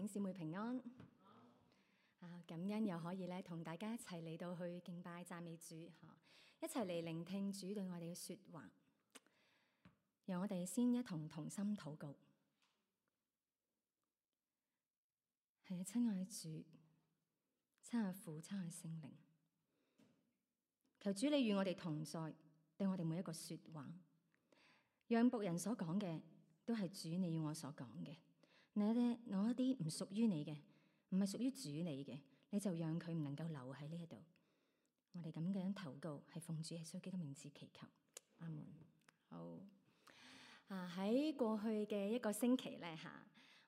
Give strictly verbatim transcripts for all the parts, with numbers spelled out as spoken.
兄姊妹平安啊！感恩又可以咧同大家一齊嚟到去敬拜讚美主嚇，一齊嚟聆聽主對我哋嘅説話。讓我哋先一同同心禱告。係啊，親愛主，親愛父，親愛聖靈，求主你與我哋同在，對我哋每一個説話，讓僕人所講嘅都係主你要我所講嘅。你咧攞一啲唔屬於你嘅，唔係屬於主你嘅，你就讓佢唔能夠留喺呢一度。我哋咁樣禱告，係奉主耶穌基督名字祈求，阿門。好啊！喺過去嘅一個星期咧嚇，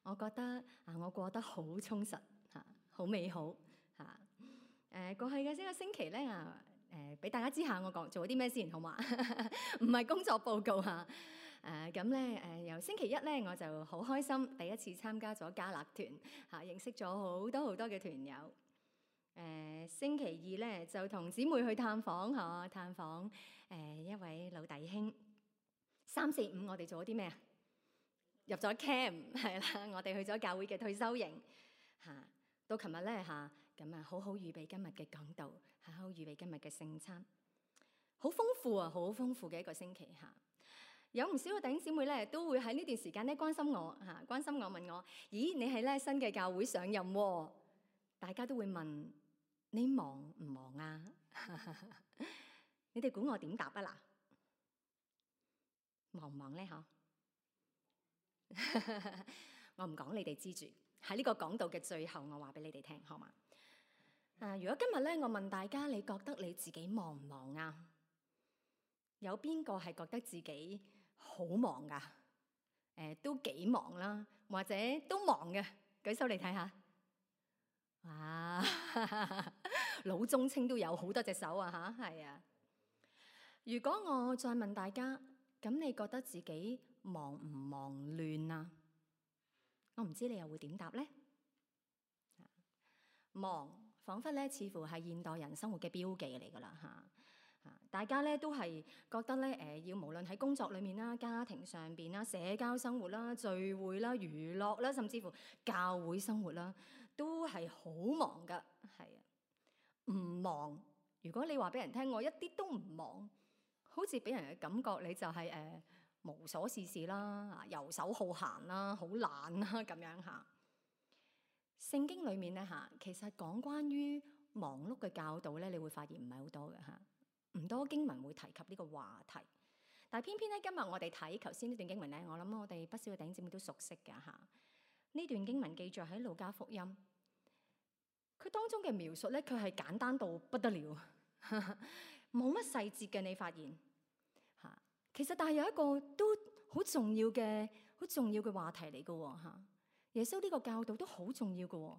我覺得啊，我過得好充實嚇，好美好嚇。誒過去嘅呢個星期咧啊，誒俾大家知下我講做咗啲咩先好嘛？唔係工作報告嚇。誒咁咧誒由星期一咧我就好開心，第一次參加咗加勒團嚇，認識咗好多好多嘅團友。誒、呃、星期二咧就同姊妹去探訪嚇，探訪誒、呃、一位老弟兄。三四五我哋做咗啲咩啊？入咗 camp 係啦，我哋去咗教會嘅退休營嚇。到琴日咧嚇，咁啊好好預備今日嘅講道，好好預備今日嘅聖餐，好豐富啊，好豐富嘅一個星期嚇。有唔少嘅弟兄姊妹咧，都會喺呢段時間咧關心我嚇，關心我問我：咦，你係咧新嘅教會上任喎？大家都會問你忙唔忙啊？你哋估我點答啊嗱？忙唔忙咧？嗬，我唔講你哋知住。喺呢個講道嘅最後，我話俾你哋聽，好嘛？啊，如果今日咧，我問大家，你覺得你自己忙唔忙啊？有邊個係覺得自己好忙噶？誒、呃，都幾忙啦，或者都忙嘅，舉手嚟睇下。哇，老中青都有好多隻手啊！吓，係啊。如果我再問大家，咁你覺得自己忙唔忙亂啊？我唔知你又會點答呢？忙，彷彿咧，似乎係現代人生活嘅標記嚟噶啦嚇。大家咧都係覺得咧，誒要無論喺工作裏面啦、家庭上邊啦、社交生活啦、聚會啦、娛樂啦，甚至乎教會生活啦，都係好忙噶。係啊，唔忙。如果你話俾人聽，我一啲都唔忙，好似俾人嘅感覺，你就係、是、誒、呃、無所事事啦、遊手好閒啦、好懶啦咁樣嚇。聖經裏面咧嚇，其實講關於忙碌嘅教導咧，你會發現唔係好多嘅嚇。唔多經文會提及呢個話題，但係偏偏咧今日我哋睇頭先呢段經文咧，我諗我哋不少嘅弟兄姊妹都熟悉嘅嚇。呢段經文記載喺路加福音，佢當中嘅描述咧，佢係簡單到不得了，冇乜細節嘅。你發現嚇，其實但係有一個都好重要嘅、好重要嘅話題嚟嘅喎嚇。耶穌呢個教導都好重要嘅喎。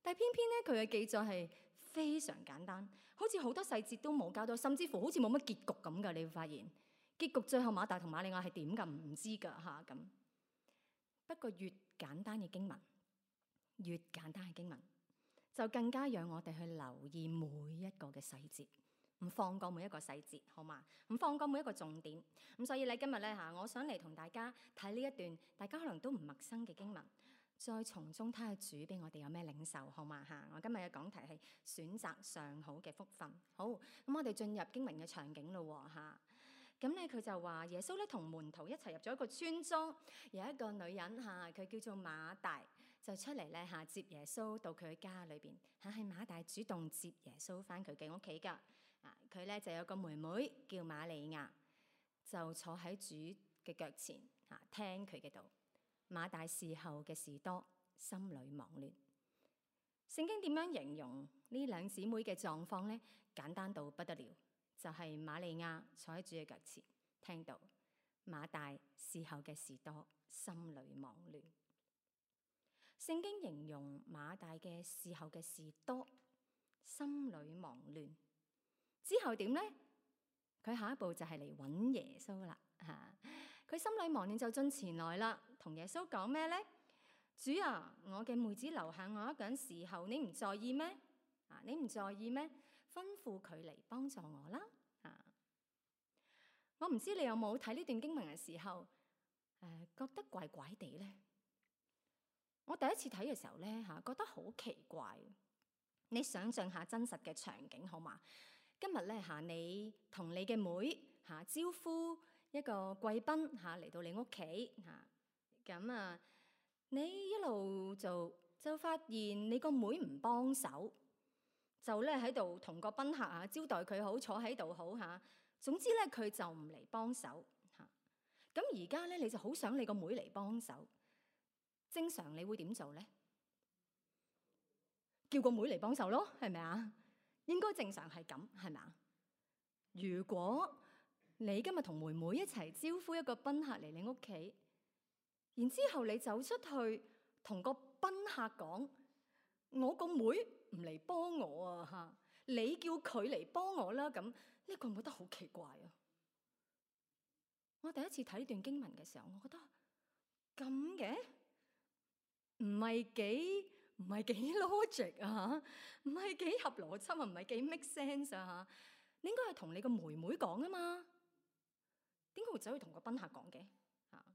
但係偏偏咧，佢嘅記載係非常簡單，好似好多細節都冇交到，甚至乎好似冇乜結局咁噶。你會發現結局最後馬大同馬利亞係點噶？唔知噶吓咁。不過越簡單嘅經文，越簡單嘅經文，就更加讓我哋去留意每一個嘅細節，唔放過每一個細節，好嘛？唔放過每一個重點。咁所以咧，今日咧吓，我想嚟同大家睇呢一段，大家可能都唔陌生嘅經文。再從中睇下主俾我哋有咩領受，好嘛嚇？我今日嘅講題係選擇上好嘅福分。好，咁我哋進入經文嘅場景咯嚇。咁咧佢就話耶穌咧同門徒一齊入咗一個村莊，有一個女人嚇，佢叫做馬大，就出嚟咧嚇接耶穌到佢嘅家裏邊嚇，係馬大主動接耶穌返佢嘅屋企㗎。啊，佢咧就有個妹妹叫瑪利亞，就坐喺主嘅腳前嚇聽佢嘅道。馬大伺候嘅事多，心裏忙亂。聖經點樣形容呢兩姊妹嘅狀況呢？簡單到不得了，就係、是、瑪利亞坐喺主嘅腳前聽道，馬大伺候嘅事多，心裏忙亂。聖經形容馬大嘅伺候嘅事多，心裏忙亂之後點呢？佢下一步就係嚟揾耶穌啦嚇。佢心裏忙亂就進前來啦，同耶穌講咩呢？主啊，我嘅妹子留下我一個人侍候，你唔在意咩？啊，你唔在意咩？吩咐佢嚟幫助我啦。啊，我唔知你有冇睇呢段經文嘅時候，誒、呃、覺得怪怪地咧？我第一次睇嘅時候咧嚇，覺得好奇怪。你想象下真實嘅場景好嘛？今日咧嚇，你同你嘅妹嚇招呼一個貴賓嚇嚟到你屋企嚇，咁啊，你一路就就發現你個妹唔幫手，就咧喺度同個賓客啊招待佢好，坐喺度好嚇。總之咧佢就唔嚟幫手嚇。咁而家咧你就好想你個妹嚟幫手，正常你會點做咧？叫個妹嚟幫手咯，係咪啊？應該正常係咁，係咪啊？如果你今日同妹妹一齊招呼一個賓客嚟你屋企，然之後你走出去同個賓客講：我個妹唔嚟幫我啊嚇，你叫佢嚟幫我啦。咁呢個我覺得好奇怪啊！我第一次睇呢段經文嘅時候，我覺得咁嘅，唔係幾唔係幾 logic 啊，唔係幾合邏輯啊，唔係幾 make sense 啊嚇。你應該係同你個妹妹講啊嘛，點解會走去同個賓客講嘅嚇？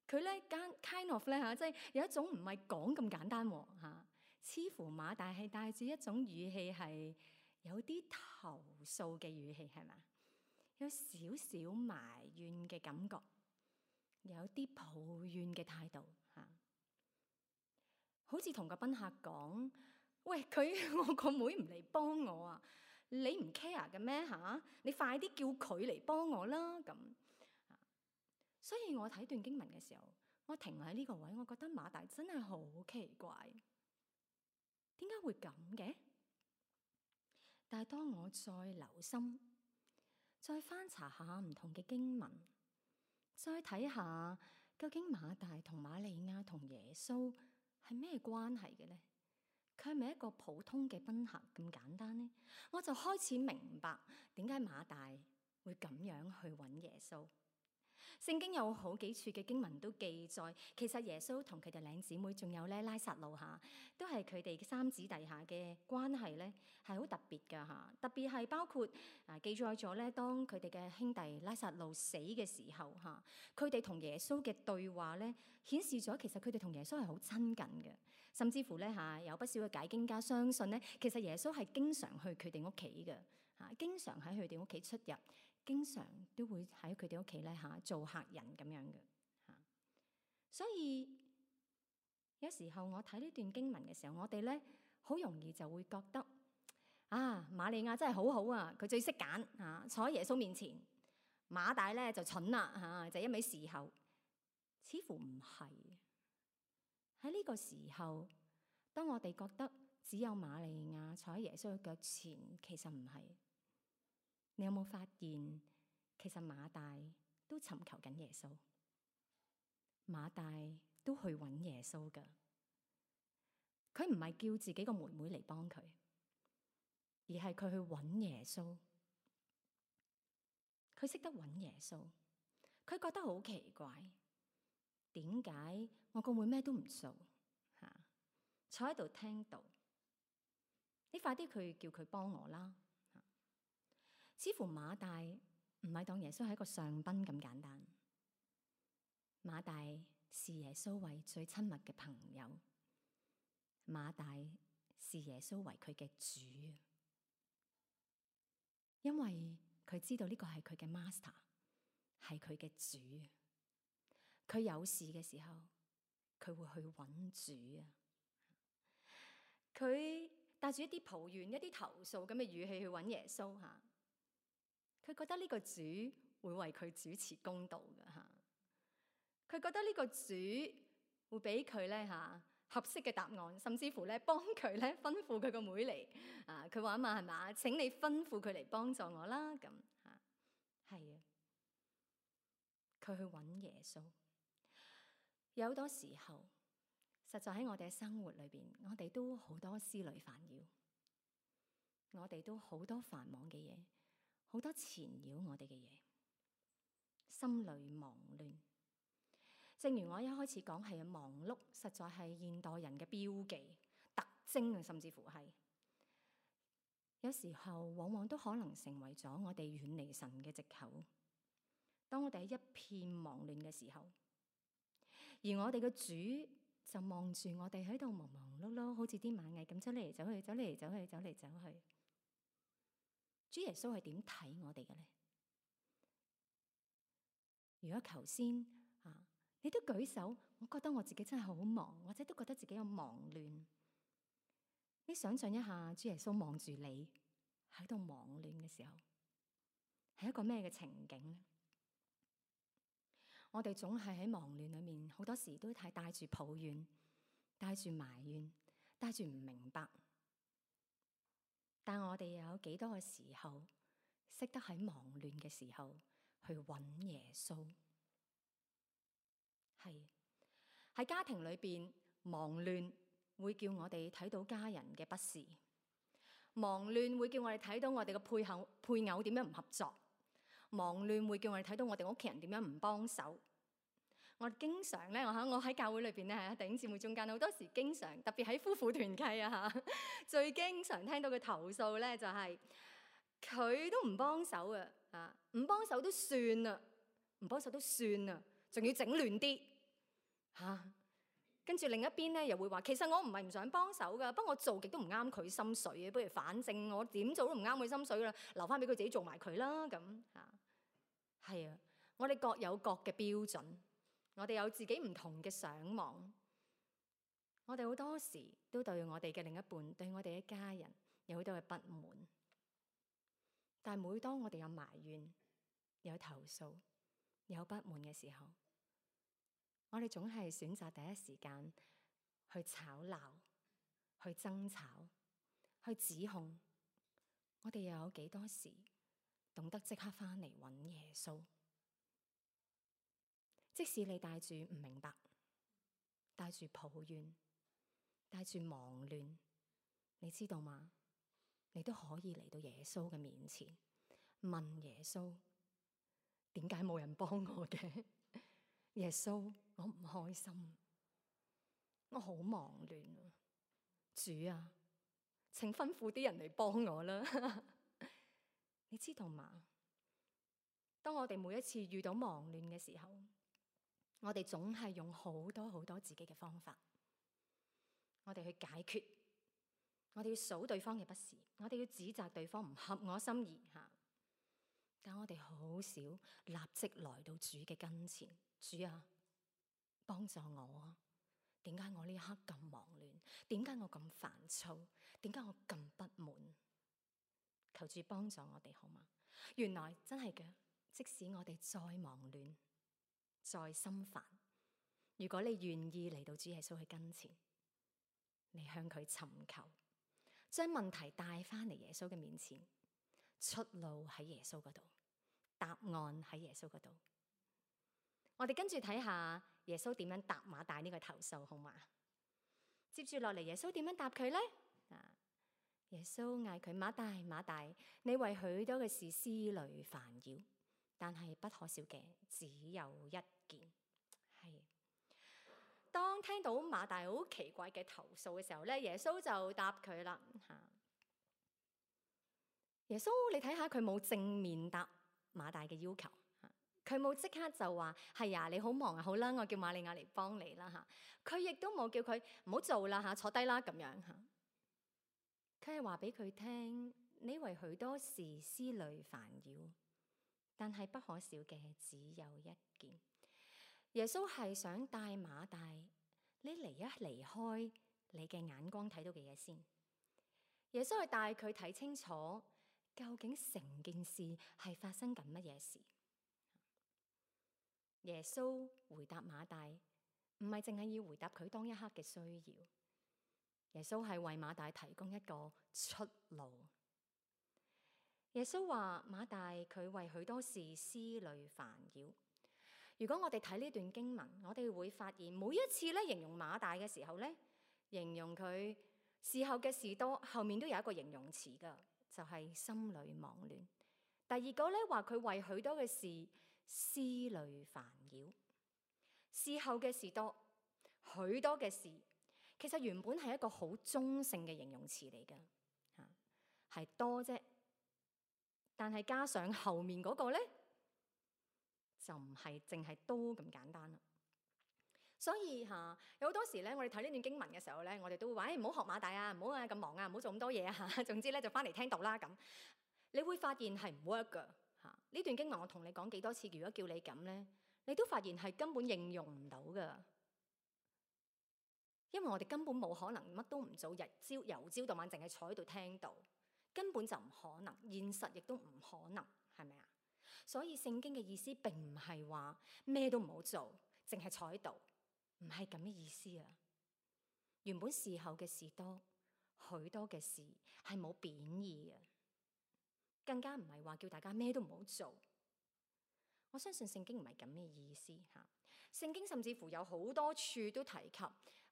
佢咧間 kind of 咧嚇，即係有一種唔係講咁簡單喎嚇，似乎馬大係帶住一種語氣係有啲投訴嘅語氣，係咪？有少少埋怨嘅感覺，有啲抱怨嘅態度嚇，好似同個賓客講：喂，佢我個妹唔嚟幫我啊！你唔 care 嘅咩嚇？你快啲叫佢嚟幫我啦咁。所以我睇段經文嘅時候，我停喺呢個位，我覺得馬大真係好奇怪，點解會咁嘅？但係當我再留心，再翻查下唔同嘅經文，再睇下究竟馬大同瑪利亞同耶穌係咩關係嘅呢？佢係咪一個普通嘅賓客咁簡單呢？我就開始明白點解馬大會咁樣去揾耶穌。聖經有好幾處嘅經文都記載，其實耶穌同佢哋兩姊妹，仲有咧拉撒路下，都係佢哋三姊弟下嘅關係咧，係好特別噶嚇。特別係包括啊記載咗咧，當佢哋嘅兄弟拉撒路死嘅時候嚇，佢哋同耶穌嘅對話咧，顯示咗其實佢哋同耶穌係好親近嘅。甚至乎咧嚇，有不少嘅解經家相信咧，其實耶穌係經常去佢哋屋企嘅嚇，經常喺佢哋屋企出入。經常都會喺佢哋屋企咧嚇做客人咁樣嘅嚇，所以有時候我睇呢段經文嘅時候，我哋咧好容易就會覺得啊，瑪利亞真係好好啊，佢最識揀嚇，坐喺耶穌面前。馬大咧就蠢啦嚇，就一味侍候。似乎唔係喺呢個時候，當我哋覺得只有瑪利亞坐喺耶穌嘅腳前，其實唔係。你有冇發現，其實馬大都尋求緊耶穌，馬大都去揾耶穌㗎。佢唔係叫自己個妹妹嚟幫佢，而係佢去揾耶穌。佢識得揾耶穌，佢覺得好奇怪，點解我個妹咩都唔做吓，坐喺度聽到？你快啲去叫佢幫我啦！似乎馬大唔係當耶穌係一個上賓咁簡單，馬大視耶穌為最親密嘅朋友，馬大視耶穌為佢嘅主，因為佢知道呢個係佢嘅 master， 係佢嘅主。佢有事嘅時候，佢會去揾主啊！佢帶住一啲抱怨、一啲投訴咁嘅語氣去揾耶穌吓。佢覺得呢個主會為佢主持公道嘅嚇，佢覺得呢個主會俾佢咧嚇合適嘅答案，甚至乎咧幫佢咧吩咐佢個妹嚟啊！佢話啊嘛係嘛？請你吩咐佢嚟幫助我啦咁嚇，係啊！佢去揾耶穌。有好多時候，實在喺我哋嘅生活裏邊，我哋都好多思慮煩擾，我哋都好多繁忙嘅嘢。好多纏繞我哋嘅嘢，心裏忙亂。正如我一開始講，係忙碌，實在係現代人嘅標記、特徵啊，甚至乎係有時候往往都可能成為咗我哋遠離神嘅藉口。當我哋喺一片忙亂嘅時候，而我哋嘅主就望住我哋喺度忙忙碌碌，好似啲螞蟻咁走嚟走去，走嚟走去，走嚟走去。主耶穌係點睇我哋嘅咧？如果頭先啊，你都舉手，我覺得我自己真係好忙，或者都覺得自己有忙亂。你想象一下，主耶穌望住你喺度忙亂嘅時候，係一個咩嘅情景咧？我哋總係喺忙亂裏面，好多時都係帶住抱怨，帶住埋怨，帶住唔明白。但我哋又有幾多嘅時候，識得喺忙亂嘅時候去揾耶穌？係喺家庭裏邊，忙亂會叫我哋睇到家人嘅不是，忙亂會叫我哋睇到我哋嘅配偶配偶點樣唔合作，忙亂會叫我哋睇到我哋屋企人點樣唔幫手。我經常咧，我喺我喺教會裏邊咧，喺弟兄姊妹中間，好多時經常特別喺夫婦團契啊嚇，最經常聽到嘅投訴咧就係、是、佢都唔幫手啊，啊唔幫手都算啦，唔幫手都算啦，仲要整亂啲嚇。跟住另一邊咧又會話，其實我唔係唔想幫手噶，不過我做極都唔啱佢心水嘅，不如反正我點做都唔啱佢心水噶啦，留翻俾佢自己做埋佢啦咁嚇。係啊，我哋各有各嘅標準。我哋有自己唔同嘅想望，我哋好多時都對我哋嘅另一半、對我哋嘅家人有好多嘅不滿。但係每當我哋有埋怨、有投訴、有不滿嘅時候，我哋總係選擇第一時間去吵鬧、去爭吵、去指控。我哋又有幾多時懂得即刻返嚟揾耶穌？即使你帶住唔明白，帶住抱怨，帶住忙亂，你知道嗎？你都可以嚟到耶穌嘅面前，問耶穌：點解冇人幫我嘅？耶穌，我唔開心，我好忙亂啊！主啊，請吩咐啲人嚟幫我啦！你知道嗎？當我哋每一次遇到忙亂嘅時候，我哋總係用好多好多自己嘅方法，我哋去解決，我哋要數對方嘅不是，我哋要指責對方唔合我心意吓。但我哋好少立即來到主嘅跟前，主啊，幫助我啊！點解我呢一刻咁忙亂？點解我咁煩躁？點解我咁不滿？求主幫助我哋好嗎？原來真係嘅，即使我哋再忙亂，再心煩，如果你願意嚟到主耶穌去跟前，你向佢尋求，將問題帶翻嚟耶穌嘅面前，出路喺耶穌嗰度，答案喺耶穌嗰度。我哋跟住睇下耶穌點樣答馬大呢個投訴，好嘛？接住落嚟，耶穌點樣答佢呢？啊，耶穌嗌佢：馬大，馬大，你為許多嘅事思慮煩擾，但係不可少嘅只有一件。係。當聽到馬大好奇怪嘅投訴嘅時候咧，耶穌就答佢啦嚇。耶穌，你睇下佢冇正面答馬大嘅要求嚇，佢冇即刻就話係啊，你好忙啊，好啦，我叫瑪利亞嚟幫你啦嚇。佢亦都冇叫佢唔好做啦嚇，坐低啦咁樣嚇。佢係話俾佢聽，你為許多事思慮煩擾，但係不可少嘅只有一件。耶穌係想帶馬大，你離一離開你嘅眼光睇到嘅嘢先。耶穌係帶佢睇清楚，究竟成件事係發生緊乜嘢事。耶穌回答馬大，唔係淨係要回答佢當一刻嘅需要。耶穌係為馬大提供一個出路。耶穌話馬大佢為許多事思慮煩擾。如果我哋睇呢段經文，我哋會發現每一次咧形容馬大嘅時候咧，形容佢事後嘅事多，後面都有一個形容詞噶，就係心裏忙亂。第二個咧話佢為許多嘅事思慮煩擾，事後嘅事多，許多嘅事，其實原本係一個好中性嘅形容詞嚟噶，吓係多啫，但係加上後面嗰個咧，就唔係淨係多咁簡單啦。所以嚇、啊、有好多時咧，我哋睇呢段經文嘅時候咧，我哋都會話：誒唔好學馬大啊，唔好啊咁忙啊，唔好做咁多嘢啊嚇。總之咧就翻嚟聽道啦咁。你會發現係唔 work 㗎嚇。呢段經文我同你講幾多次，如果叫你咁咧，你都發現係根本應用唔到㗎。因為我哋根本冇可能乜都唔做，日朝由朝到晚淨係坐喺度聽道，根本就唔可能，現實亦都唔可能，係咪啊？所以聖經嘅意思並唔係話咩都唔好做，淨係坐喺度，唔係咁嘅意思啊。原本事後嘅事多，許多嘅事係冇貶義嘅，更加唔係話叫大家咩都唔好做。我相信聖經唔係咁嘅意思嚇。聖經甚至乎有好多處都提及，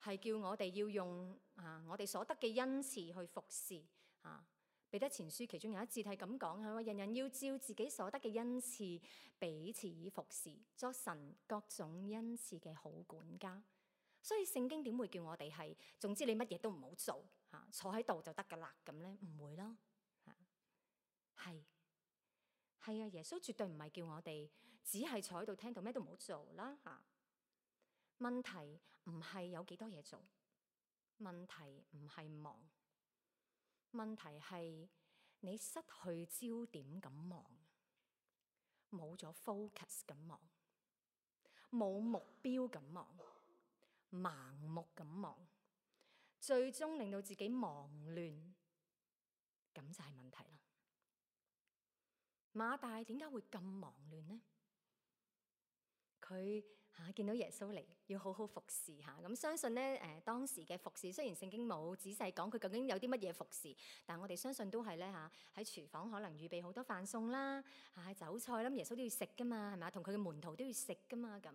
係叫我哋要用啊我哋所得嘅恩賜去服侍啊。彼得前書其中有一節係咁講，係話人人要照自己所得嘅恩賜彼此服侍，作神各種恩賜嘅好管家。所以聖經點會叫我哋係總之你乜嘢都唔好做嚇，坐喺度就得噶啦咁咧？唔會咯嚇，係。係啊，耶穌絕對唔係叫我哋只係坐喺度聽到咩都唔好做啦嚇。問題唔係有幾多嘢做，問題唔係忙，問題係你失去焦點咁忙，冇咗 focus 咁忙，冇目標咁忙，盲目咁忙，最終令到自己忙亂，咁就係問題啦。馬大點解會咁忙亂呢？佢嚇、啊、見到耶穌嚟，要好好服侍嚇。咁、啊、相信咧誒、呃、當時嘅服侍，雖然聖經冇仔細講佢究竟有啲乜嘢服侍，但我哋相信都係咧嚇喺廚房可能預備好多飯餸啦，嚇、啊、酒菜啦，耶穌都要食噶嘛，係咪啊？同佢嘅門徒都要食噶嘛，咁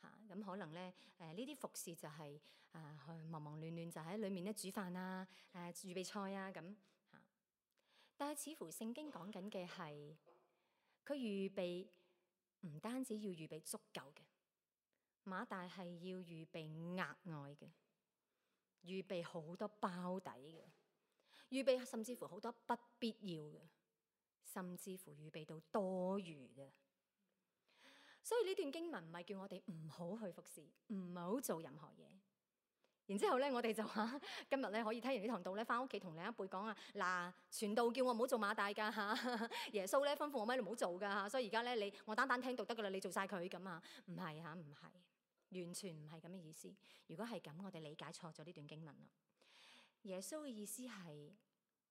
嚇咁可能咧誒呢啲、呃、服侍就係、是、啊去忙忙亂亂就喺裏面咧煮飯啊誒、啊、預備菜啊咁嚇、啊。但係似乎聖經講緊嘅係。佢預備唔單止要預備足夠嘅，馬大係要預備額外嘅，預備好多包底嘅，預備甚至乎好多不必要嘅，甚至乎預備到多餘嘅。所以呢段經文唔係叫我哋唔好去服侍，唔好做任何嘢。然之後咧，我哋就話今日咧可以聽完呢堂道咧，翻屋企同另一輩講啊，嗱，傳道叫我唔好做馬大噶嚇，耶穌咧吩咐我咩都唔好做噶嚇，所以而家咧你我單單聽道得噶啦，你做晒佢咁啊，唔係嚇，唔係，完全唔係咁嘅意思。如果係咁，我哋理解錯咗呢段經文啦。耶穌嘅意思係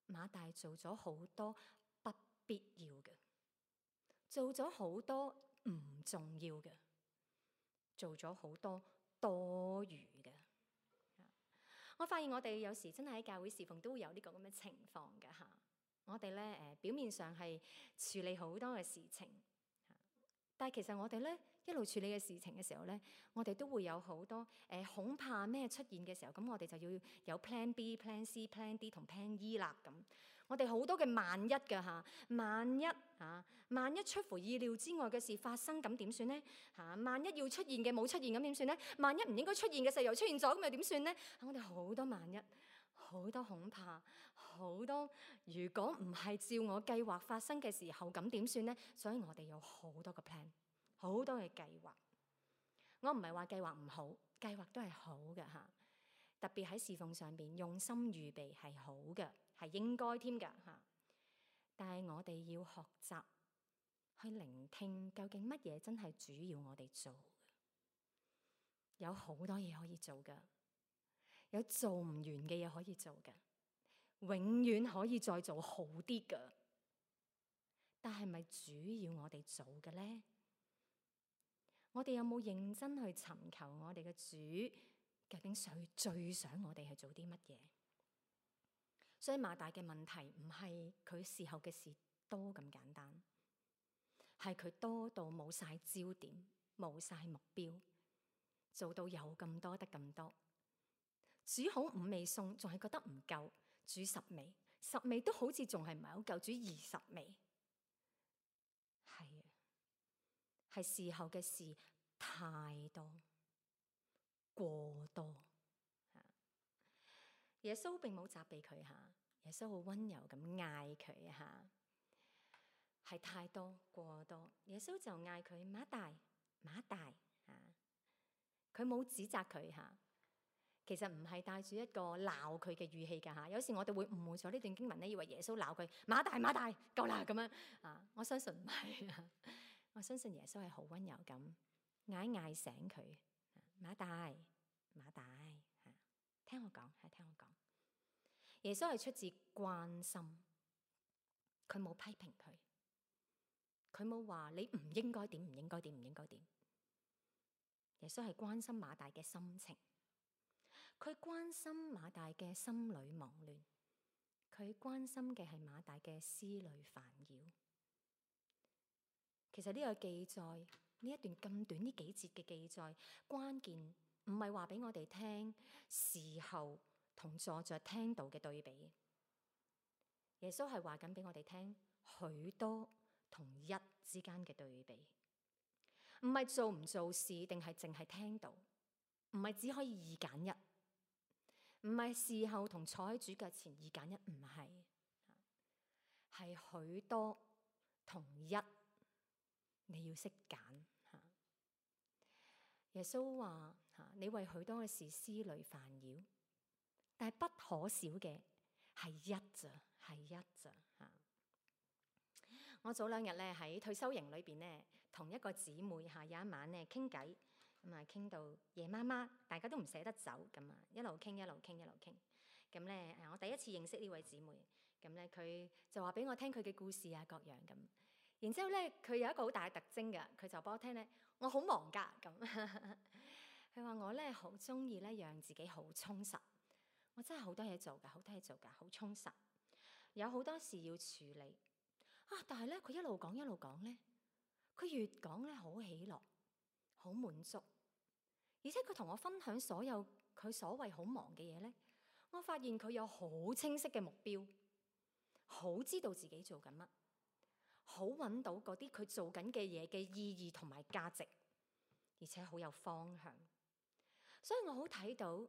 馬大做咗好多不必要嘅，做咗好多唔重要嘅，做咗好多多餘嘅。我發現我哋有時真係喺教會侍奉都會有呢個咁嘅情況㗎嚇。我哋咧誒表面上係處理好多嘅事情，但係其實我哋咧一路處理嘅事情嘅時候咧，我哋都會有好多誒、呃、恐怕咩出現嘅時候，咁我哋就要有 plan B、plan C、plan D 同 plan E 啦咁。我哋好多嘅萬一㗎嚇，萬一嚇，萬一出乎意料之外嘅事發生，咁點算呢？嚇，萬一要出現嘅冇出現，咁點算呢？萬一唔應該出現嘅事又出現咗，咁又點算呢？我哋好多萬一，好多恐怕，好多如果唔係照我計劃發生嘅時候，咁點算呢？所以我哋有好多個 plan，好多嘅計劃。我唔係話計劃唔好，計劃都係好嘅嚇。特別喺侍奉上邊用心預備係好嘅，係應該添㗎嚇。但係我哋要學習去聆聽，究竟乜嘢真係主要我哋做嘅？有好多嘢可以做㗎，有做唔完嘅嘢可以做㗎，永遠可以再做好啲㗎。但係咪主要我哋做嘅咧？我哋有冇認真去尋求我哋嘅主？究竟最最想我哋係做啲乜嘢？所以馬大嘅問題唔係佢事後嘅事多咁簡單，係佢多到冇晒焦點，冇晒目標，做到有咁多得咁多，煮好五味餸仲係覺得唔夠，煮十味，十味都好似仲係唔係好夠，煮二十味。係啊，係事後嘅事太多。過多，耶穌並冇責備佢吓，耶穌好溫柔咁嗌佢吓，係太多過多，耶穌就嗌佢馬大馬大吓，佢冇指責佢嚇。其實唔係帶住一個鬧佢嘅語氣㗎嚇。有時我哋會誤會咗呢段經文咧，以為耶穌鬧佢馬大馬大夠啦咁樣啊。我相信唔係啊，我相信耶穌係好溫柔咁嗌嗌醒佢，馬大馬大嚇，聽我講係聽我講。耶穌係出自關心，佢冇批評佢，佢冇話你唔應該點唔應該點唔應該點。耶穌係關心馬大嘅心情。佢關心馬大嘅心裏忙亂，佢關心嘅係馬大嘅思慮煩擾。其實呢個記載，呢一段咁短呢幾節嘅記載，關鍵唔係話俾我哋聽事後同坐着聽道嘅對比。耶穌係話緊俾我哋聽許多同一之間嘅對比，唔係做唔做事定係淨係聽道，唔係只可以二揀一。唔係事後同坐喺主腳前二揀一，唔係，係許多同一，你要識揀吓。耶穌話吓，你為許多嘅事思慮煩擾，但係不可少嘅係一咋，係一咋吓。我早兩日咧喺退休營裏邊咧，同一個姊妹吓有一晚咧傾偈。咁啊，傾到夜媽媽，大家都唔捨得走，咁啊，一路傾一路傾一路傾。咁咧，誒，我第一次認識呢位姊妹，咁咧佢就話俾我聽佢嘅故事啊，各樣咁。然之後咧，佢有一個好大嘅特徵㗎，佢就幫我聽咧，我好忙㗎咁。佢話我咧好中意咧，讓自己好充實。我真係好多嘢做㗎，好多嘢做㗎，好充實。有好多事要處理啊，但係咧佢一路講一路講咧，佢越講咧好喜樂。好滿足，而且佢同我分享所有佢所謂好忙嘅嘢咧，我發現佢有好清晰嘅目標，好知道自己做緊乜，好揾到嗰啲佢做緊嘅嘢嘅意義同埋價值，而且好有方向。所以我好睇到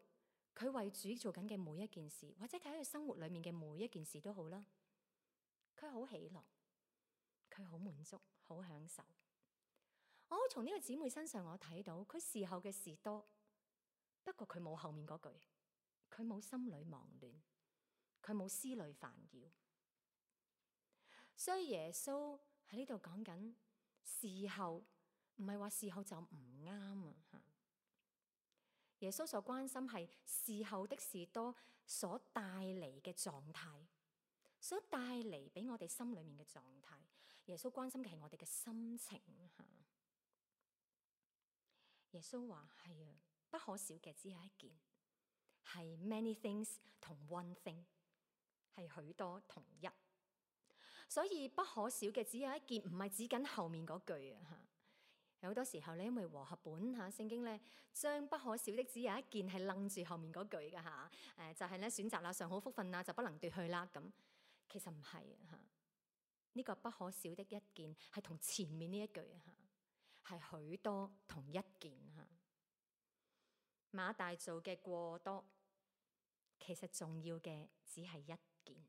佢為主做緊嘅每一件事，或者佢喺佢生活裏面嘅每一件事都好啦，佢好喜樂，佢好滿足，好享受。我從呢個姊妹身上，我睇到佢事後嘅事多，不過佢冇後面嗰句，佢冇心裏忙亂，佢冇思慮煩擾。所以耶穌喺呢度講緊事後，唔係話事後就唔啱啊！吓，耶穌所關心係事後的事多所帶嚟嘅狀態，所帶嚟俾我哋心裏面嘅狀態。耶穌關心嘅係我哋嘅心情吓。耶穌話係啊，不可少嘅只有一件，係 many things 同 one thing， 係許多同一。所以不可少嘅只有一件，唔係指緊後面嗰句啊吓。有好多時候咧，因為和合本吓聖經咧，將不可少的只有一件係楞住後面嗰句噶吓。誒，就係咧選擇啦，上好福分啊，就不能奪去啦。咁其實唔係啊吓，呢個不可少的一件係同前面呢一句啊吓。係許多同一件吓，馬大做嘅過多，其實重要嘅只係一件，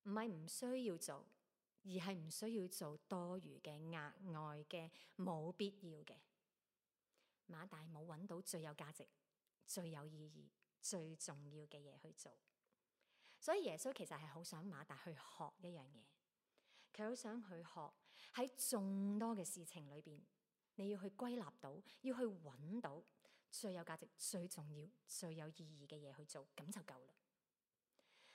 唔係唔需要做，而係唔需要做多餘嘅、額外嘅、冇必要嘅。馬大冇揾到最有價值、最有意義、最重要嘅嘢去做，所以耶穌其實係好想馬大去學一樣嘢。佢好想去學喺眾多嘅事情裏邊，你要去歸納到，要去揾到最有價值、最重要、最有意義嘅嘢去做，咁就夠啦。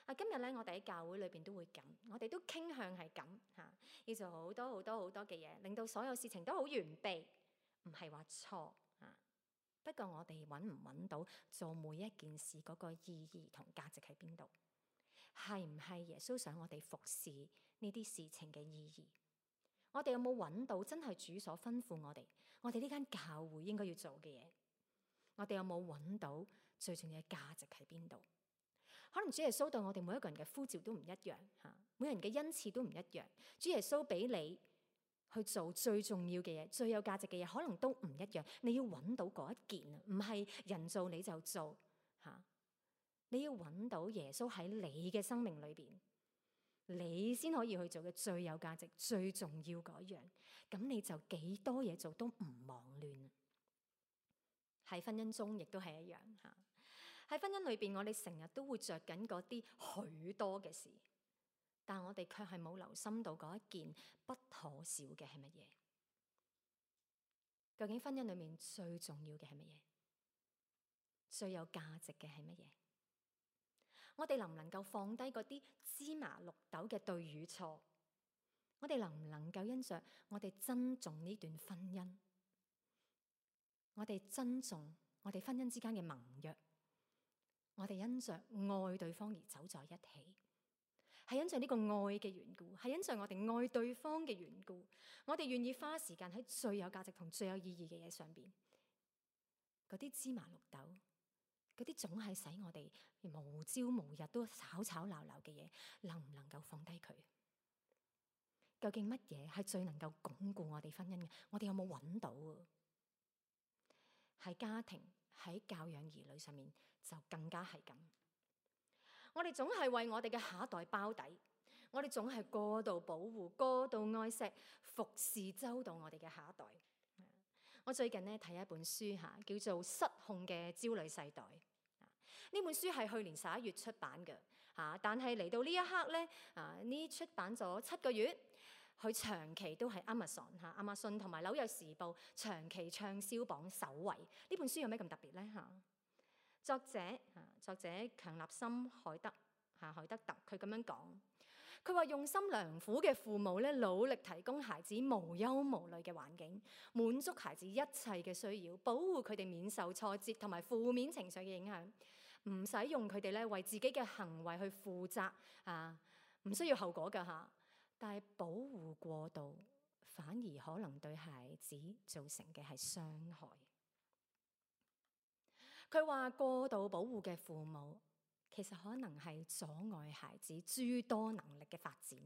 啊，今日咧，我哋喺教會裏邊都會咁，我哋都傾向係咁吓，要做好多好多好多嘅嘢，令到所有事情都好完備，唔係話錯啊。不過我哋揾唔揾到做每一件事嗰個意義同價值喺邊度？係唔係耶穌想我哋服侍呢啲事情嘅意義？我哋有冇揾到真係主所吩咐我哋，我哋呢間教會應該要做嘅嘢？我哋有冇揾到最重要嘅價值喺邊度？可能主耶穌對我哋每一個人嘅呼召都唔一樣吓，每人嘅恩賜都唔一樣。主耶穌俾你去做最重要嘅嘢、最有價值嘅嘢，可能都唔一樣。你要揾到嗰一件啊，唔係人做你就做吓。你要揾到耶穌喺你嘅生命裏邊，你先可以去做嘅最有價值、最重要嗰樣，咁你就幾多嘢做都唔忙亂。喺婚姻中亦都係一樣嚇。喺婚姻裏邊，我哋成日都會着緊嗰啲許多嘅事，但我哋卻係冇留心到嗰一件不可少嘅係乜嘢？究竟婚姻裏面最重要嘅係乜嘢？最有價值嘅係乜嘢？我哋能唔能夠放低嗰啲芝麻綠豆嘅對與錯？我哋能唔能夠因着我哋珍重呢段婚姻，我哋珍重我哋婚姻之間嘅盟約，我哋因着愛對方而走在一起，係因着呢個愛嘅緣故，係因着我哋愛對方嘅緣故，我哋願意花時間喺最有價值同最有意義嘅嘢上邊。嗰啲芝麻綠豆，嗰啲總係使我哋無朝無日都吵吵鬧鬧嘅嘢，能唔能夠放低佢？究竟乜嘢係最能夠鞏固我哋婚姻嘅？我哋有冇揾到啊？喺家庭、喺教養兒女上面就更加係咁。我哋總係為我哋嘅下一代包底，我哋總係過度保護、過度愛錫、服侍周到我哋嘅下一代。我最近咧睇一本書嚇，叫做《失控嘅焦慮世代》。呢本書係去年十一月出版嘅嚇，但係嚟到呢一刻咧，啊呢出版咗七個月，佢長期都係 Amazon 嚇、Amazon 同埋紐約時報長期暢銷榜首位。呢本書有咩咁特別咧嚇？作者嚇，作者強納森海德嚇海德特，佢咁樣講，佢話用心良苦嘅父母咧，努力提供孩子無憂無慮嘅環境，滿足孩子一切嘅需要，保護佢哋免受挫折同埋負面情緒嘅影響，唔使用佢哋咧為自己嘅行為去負責啊，唔需要後果㗎嚇。但係保護過度，反而可能對孩子造成嘅係傷害。佢話過度保護嘅父母，其實可能係阻礙孩子諸多能力嘅發展，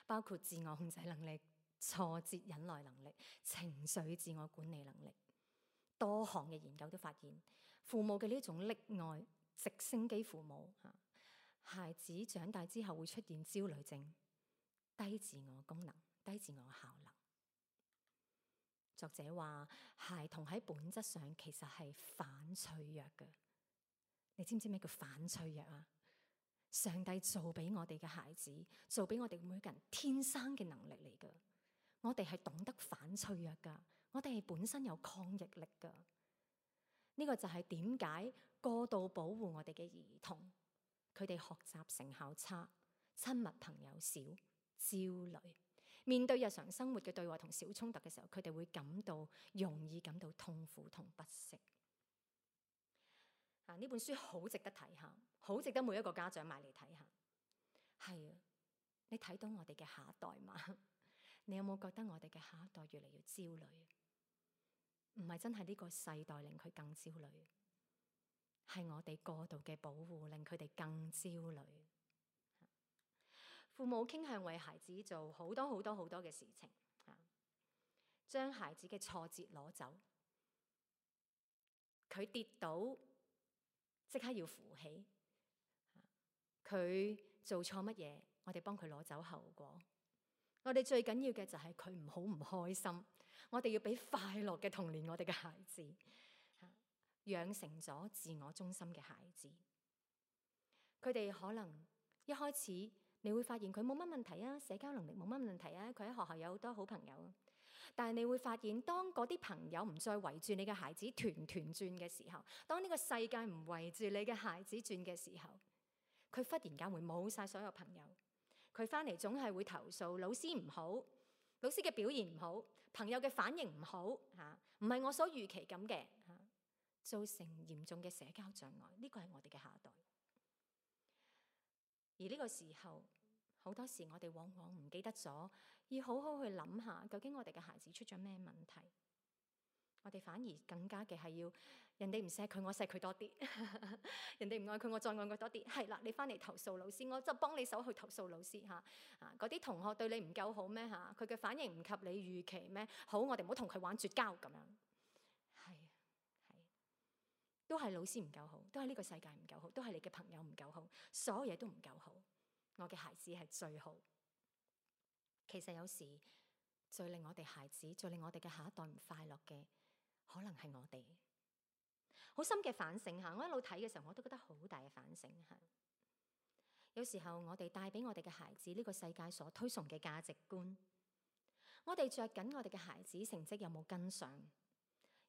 包括自我控制能力、挫折忍耐能力、情緒自我管理能力。多項嘅研究都發現，父母嘅呢種溺愛直升機父母，孩子長大之後會出現焦慮症、低自我功能、低自我效能。作者話，孩童喺本質上其實係反脆弱嘅。你知唔知咩叫反脆弱啊？上帝做俾我哋嘅孩子，做俾我哋每個人天生嘅能力嚟噶。我哋係懂得反脆弱噶，我哋係本身有抗逆力噶。呢個就係點解過度保護我哋嘅兒童，佢哋學習成效差，親密朋友少，焦慮。面對日常生活嘅對話同小衝突嘅時候，佢哋會感到容易感到痛苦同不適。啊！呢本書好值得睇下，好值得每一個家長買嚟睇下。係啊，你睇到我哋嘅下一代嘛？你有冇覺得我哋嘅下一代越嚟越焦慮？唔係真係呢個世代令佢更焦慮，係我哋過度嘅保護令佢哋更焦慮。父母傾向為孩子做好多好多好多嘅事情，將孩子嘅挫折攞走。佢跌倒即刻要扶起，佢做錯乜嘢，我哋幫佢攞走後果。我哋最緊要嘅就係佢唔好唔開心，我哋要俾快樂嘅童年我哋嘅孩子，養成咗自我中心嘅孩子。佢哋可能一開始你會發現佢冇乜問題啊，社交能力冇乜問題啊，佢喺學校有好多好朋友。但係你會發現，當嗰啲朋友唔再圍住你嘅孩子團團轉嘅時候，當呢個世界唔圍住你嘅孩子轉嘅時候，佢忽然間會冇晒所有朋友。佢翻嚟總係會投訴老師唔好，老師嘅表現唔好，朋友嘅反應唔好，嚇唔係我所預期咁嘅，嚇造成嚴重嘅社交障礙。呢個係我哋嘅下一代。而呢個時候，好多時我哋往往唔記得咗，要好好去諗下，究竟我哋嘅孩子出咗咩問題？我哋反而更加嘅係要人哋唔錫佢，我錫佢多啲；人哋唔愛佢，我再愛佢多啲。係啦，你翻嚟投訴老師，我就幫你手去投訴老師嚇。啊，嗰啲同學對你唔夠好咩嚇？佢嘅反應唔及你預期咩？好，我哋唔好同佢玩絕交咁樣。係係，都係老師唔夠好，都係呢個世界唔夠好，都係你嘅朋友唔夠好，所有嘢都唔夠好。我嘅孩子係最好。其實有時最令我哋孩子、最令我哋嘅下一代唔快樂嘅，可能係我哋。好深嘅反省嚇。我一路睇嘅時候，我都覺得好大嘅反省嚇。有時候我哋帶俾我哋嘅孩子呢個世界所推崇嘅價值觀，我哋着緊我哋嘅孩子成績有冇跟上，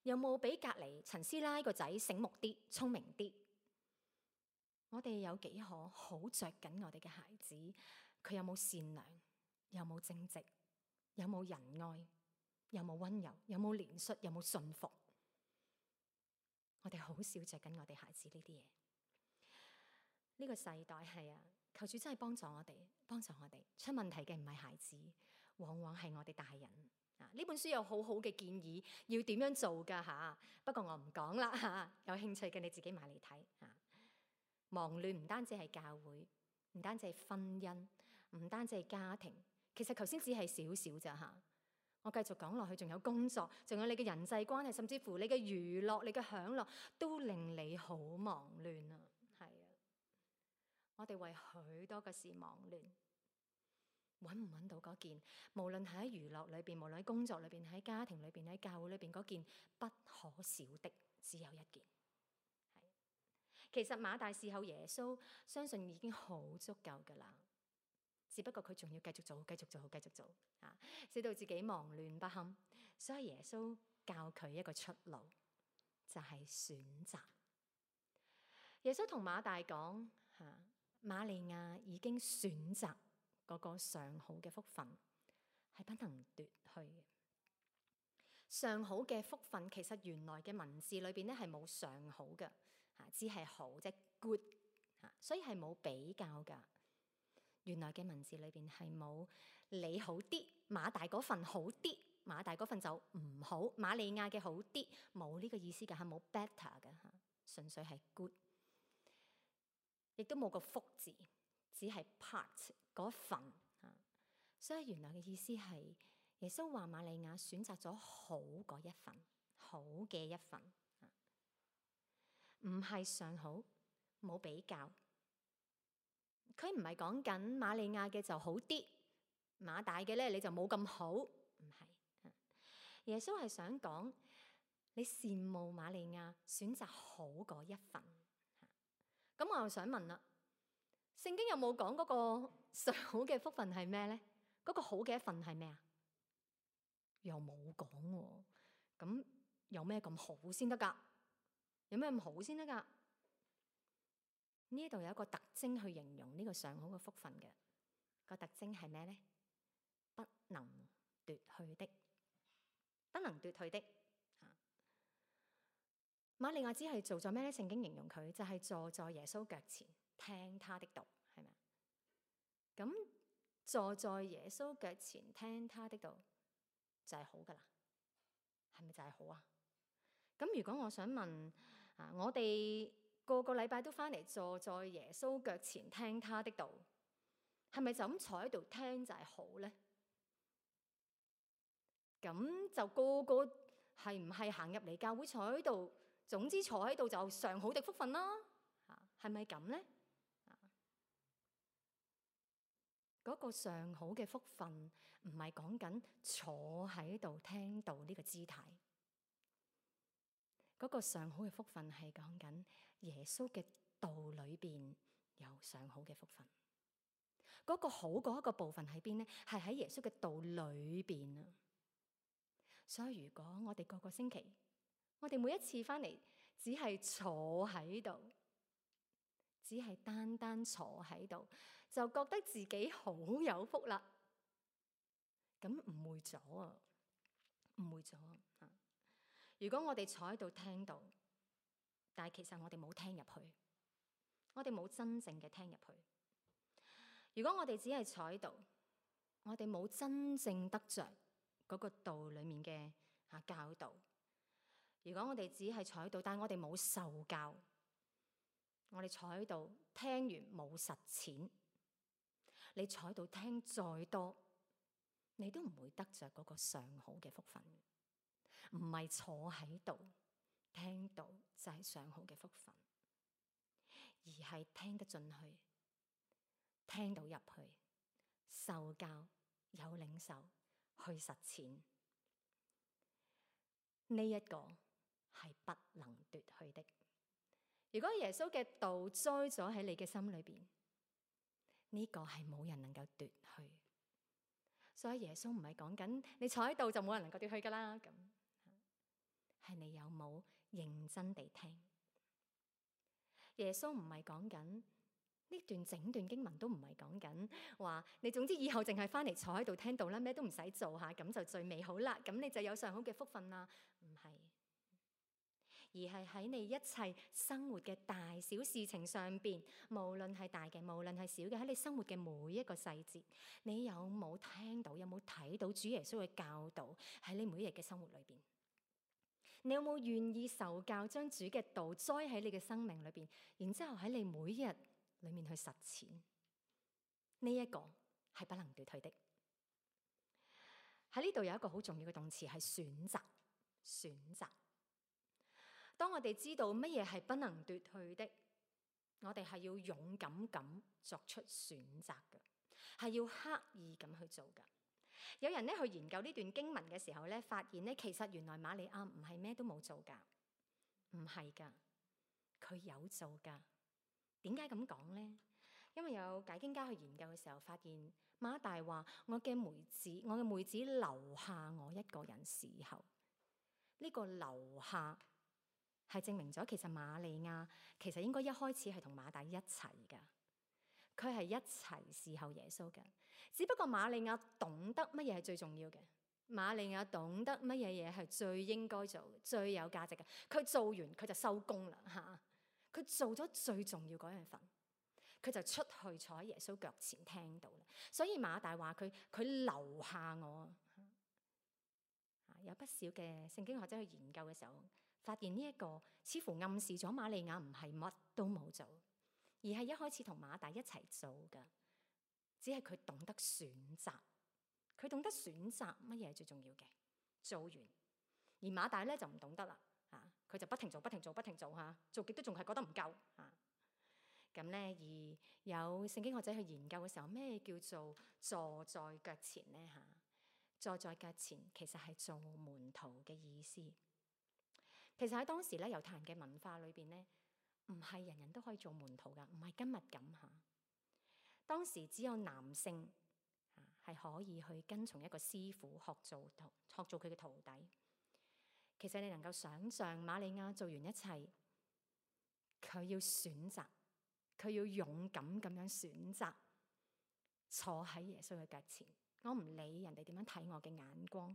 有冇比隔離陳師奶個仔醒目啲、聰明啲？我哋有幾可好着緊我哋嘅孩子，佢有冇善良，有冇正直，有冇仁愛，有冇溫柔，有冇憐恤，有冇信服？我哋好少着緊我哋孩子呢啲嘢。呢個世代係啊，求主真係幫助我哋，幫助我哋。出問題嘅唔係孩子，往往係我哋大人啊。呢本書有好好嘅建議，要點樣做㗎吓？不過我唔講啦吓，有興趣嘅你自己買嚟睇吓。忙亂唔單止係教會，唔單止係婚姻，唔單止係家庭，其實頭先只係少少咋吓。我繼續講落去，仲有工作，仲有你嘅人際關係，甚至乎你嘅娛樂、你嘅享樂，都令你好忙亂啊！係啊，我哋為許多嘅事忙亂，揾唔揾到嗰件？無論喺娛樂裏邊，無論喺工作裏邊，喺家庭裏邊，喺教會裏邊，嗰件不可少的，只有一件。係，其實馬大伺候耶穌，相信已經好足夠噶啦。只不過佢仲要繼續做，繼續做，繼續做啊，使到自己忙亂不堪。所以耶穌教佢一個出路，就係選擇。耶穌同馬大講吓，瑪利亞已經選擇嗰個上好嘅福分，係不能奪去嘅。上好嘅福分，其實原來嘅文字裏邊咧係冇上好嘅吓，只係好即係 good 吓，所以係冇比較噶。原來嘅文字裏邊係冇你好啲，馬大嗰份好啲，馬大嗰份就唔好，瑪利亞嘅好啲，冇呢個意思㗎，係冇 better 嘅嚇，純粹係 good，亦都冇個福字，只係 part 嗰份嚇。所以原來嘅意思係耶穌話瑪利亞選擇咗好嗰一份，好嘅一份，唔係上好，冇比較。佢唔係講緊瑪利亞嘅就好啲，馬大嘅咧你就冇咁好，唔係。耶穌係想講你羨慕瑪利亞選擇好嗰一份。咁我又想問啦，聖經有冇講嗰個上好嘅福分係咩咧？嗰個好嘅一份係咩啊？又冇講喎。咁有咩咁好先得噶？有咩咁好先得噶？呢度有一個特徵去形容呢個上好嘅福分嘅，個特徵係咩咧？不能奪去的，不能奪去的。瑪利亞只係做咗咩咧？聖經形容佢就係坐在耶穌腳前聽他的道，係咪？咁坐在耶穌腳前聽他的道就係好噶啦，係咪就係好啊？咁如果我想問啊，我哋個個禮拜都翻嚟坐在耶穌腳前聽他的道，係咪就咁坐喺度聽就係好咧？咁就個個係唔係行入嚟教會坐喺度，總之坐喺度就上好的福分啦？啊，係咪咁咧？啊，嗰個上好嘅福分唔係講緊坐喺度聽道呢個姿態。嗰個上好嘅福分係講緊耶穌嘅道裏邊有上好嘅福分。嗰個好嗰一個部分喺邊咧？係喺耶穌嘅道裏邊啊。所以如果我哋個個星期，我哋每一次翻嚟，只係坐喺度，只係單單坐喺度，就覺得自己好有福啦，咁誤會咗啊！誤會咗啊！如果我哋坐喺度聽到，但係其實我哋冇聽入去，我哋冇真正嘅聽入去。如果我哋只係坐喺度，我哋冇真正得着嗰個道裏面嘅啊教導。如果我哋只係坐喺度，但係我哋冇受教，我哋坐喺度聽完冇實踐，你坐喺度聽再多，你都唔會得着嗰個上好嘅福分。唔係坐喺度聽到就係上好嘅福分，而係聽得進去，聽到入去，受教有領受去實踐，呢一個係不能奪去的。如果耶穌嘅道栽咗喺你嘅心裏邊，呢個係冇人能夠奪去。所以耶穌唔係講緊你坐喺度就冇人能夠奪去噶啦，咁係你有冇認真地聽？耶穌唔係講緊呢段整段經文都唔係講緊話你總之以後淨係翻嚟坐喺度聽到啦，咩都唔使做下，咁就最美好啦，咁你就有上好嘅福分啦。唔係，而係喺你一切生活嘅大小事情上邊，無論係大嘅，無論係小嘅，喺你生活嘅每一個細節，你有冇聽到，有冇睇到主耶穌嘅教導喺你每一日嘅生活裏邊？你有冇願意受教，將主嘅道栽喺你嘅生命裏邊，然之後喺你每一日裏面去實踐？呢一個係不能奪去的。喺呢度有一個好重要嘅動詞係選擇，選擇。當我哋知道乜嘢係不能奪去的，我哋係要勇敢咁作出選擇嘅，係要刻意咁去做噶。有人咧去研究呢段經文嘅時候咧，發現咧其實原來瑪利亞唔係咩都冇做噶，唔係噶，佢有做噶。點解咁講咧？因為有解經家去研究嘅時候，發現馬大話：我嘅妹子，我嘅妹子留下我一個人伺候。呢個留下係證明咗，其實瑪利亞其實應該一開始係同馬大一齊噶。佢係一齊侍候耶穌嘅，只不過瑪利亞懂得乜嘢係最重要嘅，瑪利亞懂得乜嘢嘢係最應該做、最有價值嘅。佢做完佢就收工啦嚇，佢做咗最重要嗰樣份，佢就出去坐喺耶穌腳前聽到啦。所以馬大話佢佢留下我啊，有不少嘅聖經學者去研究嘅時候，發現呢一個似乎暗示咗瑪利亞唔係乜都冇做，而係一開始同馬大一齊做噶，只係佢懂得選擇，佢懂得選擇乜嘢係最重要嘅，做完。而馬大咧就唔懂得啦，啊，佢就不停做、不停做、不停做吓，做極都仲係覺得唔夠啊。咁咧，而有聖經學者去研究嘅時候，咩叫做坐在腳前咧吓？坐在腳前其實係做門徒嘅意思。其實喺當時咧，猶太人嘅文化裏邊咧，唔係人人都可以做門徒噶，唔係今日咁吓。當時只有男性啊係可以去跟從一個師傅學做徒，學做佢嘅徒弟。其實你能夠想象瑪利亞做完一切，佢要選擇，佢要勇敢咁樣選擇坐喺耶穌嘅腳前。我唔理人哋點樣睇我嘅眼光，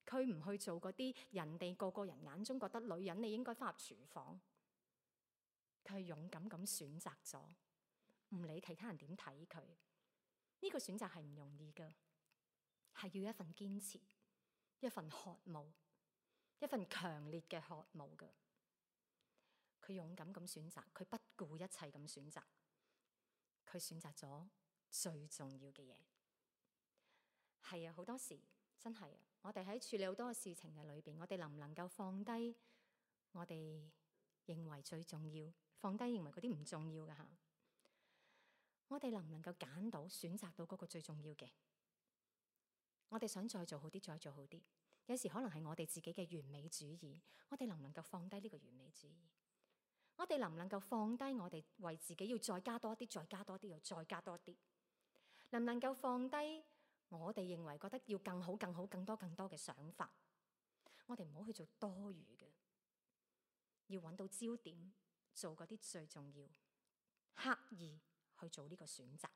佢唔去做嗰啲人哋個個人眼中覺得女人你應該翻入廚房。佢係勇敢咁選擇咗，唔理其他人點睇佢。呢個選擇係唔容易噶，係要一份堅持，一份渴慕，一份強烈嘅渴慕噶。佢勇敢咁選擇，佢不顧一切咁選擇，佢選擇咗最重要嘅嘢。係啊，好多時真係啊，我哋喺處理好多嘅事情嘅裏邊，我哋能唔能夠放低我哋認為最重要，放低認為嗰啲唔重要嘅吓？我哋能唔能夠揀到選擇到嗰個最重要嘅？我哋想再做好啲，再做好啲。有時可能係我哋自己嘅完美主義，我哋能唔能夠放低呢個完美主義？我哋能唔能夠放低我哋為自己要再加多啲，再加多啲，又再加多啲？能唔能夠放低我哋認為覺得要更好、更好、更多、更多嘅想法？我哋唔好去做多餘嘅，要揾到焦點，做嗰啲最重要，刻意去做呢個選擇。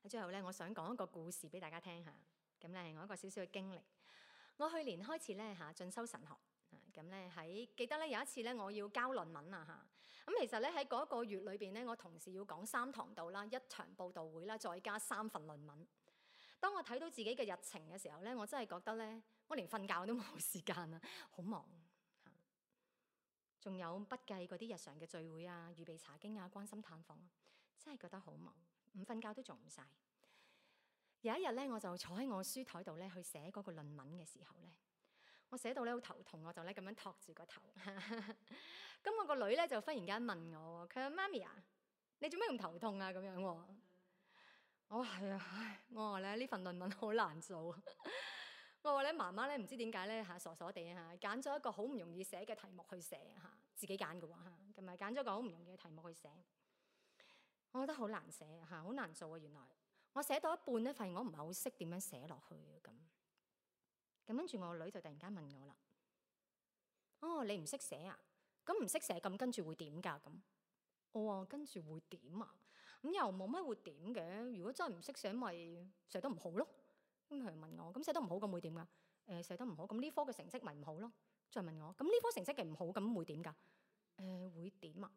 喺最後咧，我想講一個故事俾大家聽下。咁咧係我一個少少嘅經歷。我去年開始咧嚇進修神學。咁咧喺記得咧有一次咧我要交論文啊嚇。咁其實咧喺嗰一個月裏邊咧，我同時要講三堂道啦，一場佈道會啦，再加三份論文。當我睇到自己嘅日程嘅時候咧，我真係覺得咧，我連瞓覺都冇時間啊，好忙嚇。仲有不計嗰啲日常嘅聚會啊、預備查經啊、關心探訪，真係覺得好忙，唔瞓覺都做唔晒。有一日咧，我就坐喺我書台度咧去寫嗰個論文嘅時候咧，我寫到咧好頭痛，我就咧咁樣托住個頭。咁我個女咧就忽然間問我，佢話媽咪啊，你做咩咁頭痛啊？咁樣喎。我話係啊，唉，我話咧呢份論文好難做。我話咧媽媽咧唔知點解咧嚇傻傻地嚇揀咗一個好唔容易寫嘅題目去寫嚇，自己揀嘅喎嚇，咁咪揀咗個好唔容易嘅題目去寫。我覺得好難寫嚇，好難做啊！原來我寫到一半咧，發現我唔係好識點樣寫落去咁。咁跟住我個女就突然間問我啦：哦，你唔識寫啊？咁唔識寫咁跟住會點㗎？咁我話跟住會點啊？咁又冇乜會點嘅。如果真係唔識寫，咪寫得唔好咯。咁佢問我：咁寫得唔好咁會點㗎？誒，寫得唔好咁呢科嘅成績咪唔好咯。再問我：咁呢科成績嘅唔好咁會點㗎？誒，會點啊？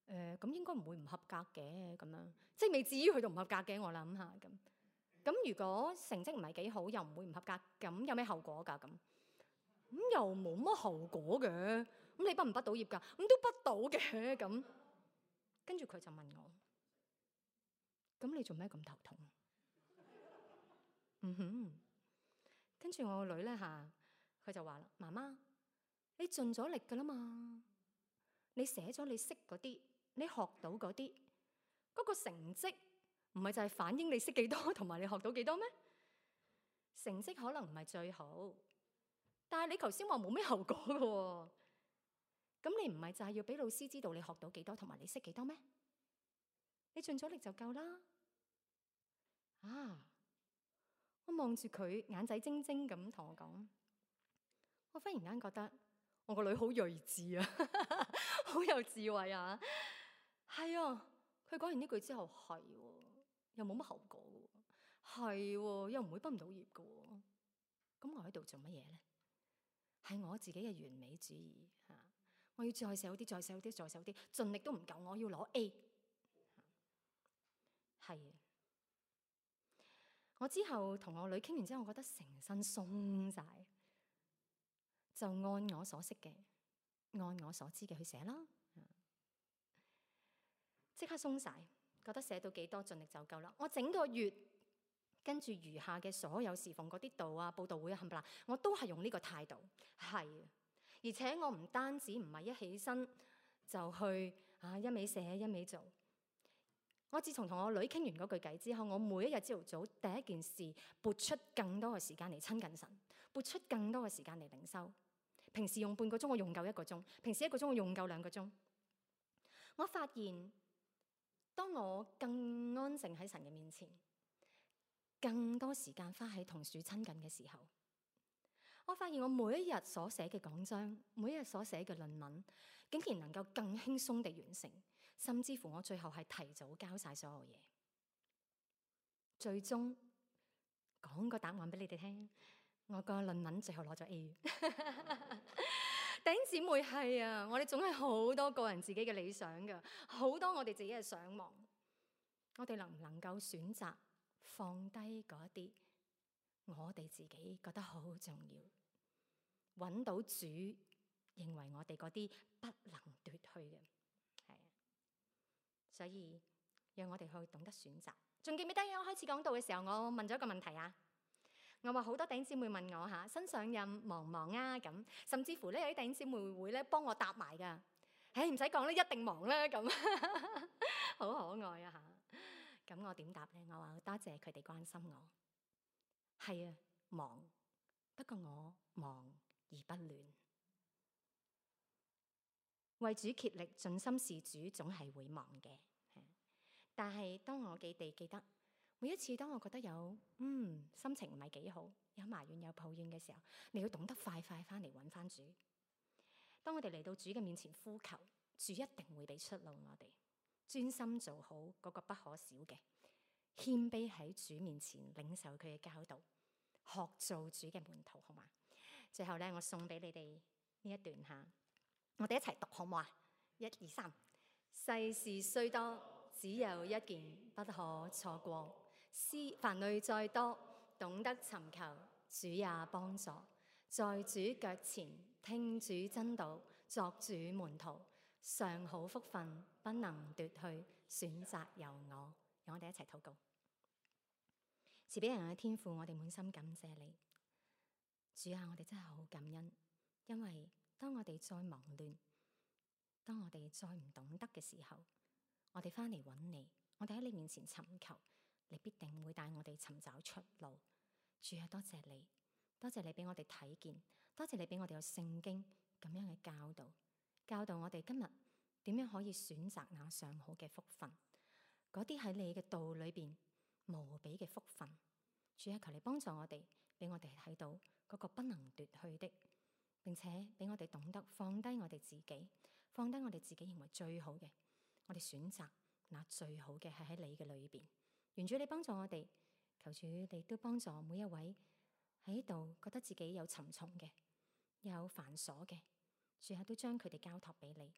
誒，咁應該唔會唔合格嘅咁樣，即係未至於去到唔合格嘅。我諗下咁。咁如果成績唔係幾好，又唔會唔合格，咁有咩後果㗎？咁咁又冇乜後果嘅。咁你畢唔畢到業㗎？咁都畢到嘅。咁跟住佢就問我：咁你做咩咁頭痛？嗯哼。跟住我個女咧嚇，佢就話啦：媽媽，你盡咗力㗎啦嘛，你寫咗你識嗰啲，你學到嗰啲，嗰個成績唔係就係反映你識幾多同埋你學到幾多咩？成績可能唔係最好，但係你頭先話冇咩後果㗎喎，咁你唔係就係要俾老師知道你學到幾多同埋你識幾多咩？你盡咗力就夠啦。啊！我望住佢眼仔晶晶咁同我講，我忽然間覺得我個女好睿智啊，好有智慧啊。係啊，佢講完呢句之後，係喎，又冇乜後果嘅喎，係喎，又唔會畢唔到業嘅喎。咁我喺度做乜嘢咧？係我自己嘅完美主義嚇，我要再寫好啲，再寫好啲，再寫好啲，盡力都唔夠，我要攞 A。係啊。我之後同我女傾完之後，我覺得成身鬆晒，就按我所識嘅，按我所知嘅去寫啦。即刻鬆晒，覺得寫到幾多盡力就夠啦。我整個月跟住餘下嘅所有侍奉嗰啲道啊、佈道會啊、冚唪唥，我都係用呢個態度。係，而且我唔單止唔係一起身就去啊一味寫一味做。我自從同我女傾完嗰句偈之後，我每一日朝頭早第一件事撥出更多嘅時間嚟親近神，撥出更多嘅時間嚟靈修。平時用半個鐘，我用夠一個鐘；平時一個鐘，我用夠兩個鐘。我發現，當我更安靜喺神嘅面前，更多時間花喺同主親近嘅時候，我發現我每一日所寫嘅講章，每一日所寫嘅論文，竟然能夠更輕鬆地完成。甚至乎我最後係提早交晒所有嘢，最終講個答案俾你哋聽。我個論文最後攞咗 A。弟兄姊妹，係啊，我哋總係好多個人自己嘅理想噶，好多我哋自己嘅想望。我哋能唔能夠選擇放低嗰啲我哋自己覺得好重要，揾到主認為我哋嗰啲不能奪去嘅？所以讓我哋去懂得選擇。仲記唔記得我開始講道嘅時候，我問咗一個問題啊？我話好多弟兄姊妹問我嚇，新上任忙唔忙啊？咁甚至乎咧有啲弟兄姊妹會咧幫我答埋噶。唉，唔使講咧，一定忙啦咁，好可愛啊嚇！咁我點答咧？我話多謝佢哋關心我。係啊，忙，不過我忙而不亂，為主竭力，盡心事主，總係會忙嘅。但係當我記地記得，每一次當我覺得有嗯心情唔係幾好，有埋怨有抱怨嘅時候，你要懂得快快翻嚟揾翻主。當我哋嚟到主嘅面前呼求，主一定會俾出路我哋。專心做好嗰個不可少嘅，謙卑喺主面前領受佢嘅教導，學做主嘅門徒，好嘛？最後咧，我送俾你哋呢一段吓。我哋一齊讀好唔好啊？一二三，世事雖多，只有一件不可錯過。思凡慮再多，懂得尋求，主也幫助。在主腳前聽主真道，作主門徒，上好福分不能奪去，選擇由我。讓我哋一齊禱告。慈悲人嘅天父，我哋滿心感謝你。主啊，我哋真係好感恩，因為當我哋再忙亂，當我哋再唔懂得嘅時候，我哋翻嚟揾你，我哋喺你面前尋求，你必定會帶我哋尋找出路。主啊，多謝你，多謝你俾我哋睇見，多謝你俾我哋有聖經咁樣嘅教導，教導我哋今日點樣可以選擇那上好嘅福分，嗰啲喺你嘅道裏邊無比嘅福分。主啊，求你幫助我哋，俾我哋睇到嗰個不能奪去的，並且俾我哋懂得放低我哋自己，放低我哋自己認為最好嘅，我哋選擇那最好嘅係喺你嘅裏邊。願主你幫助我哋，求主你都幫助每一位喺度覺得自己有沉重嘅，有繁瑣嘅，主啊都將佢哋交託俾你，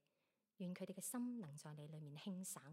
願佢哋嘅心能在你裏面輕省。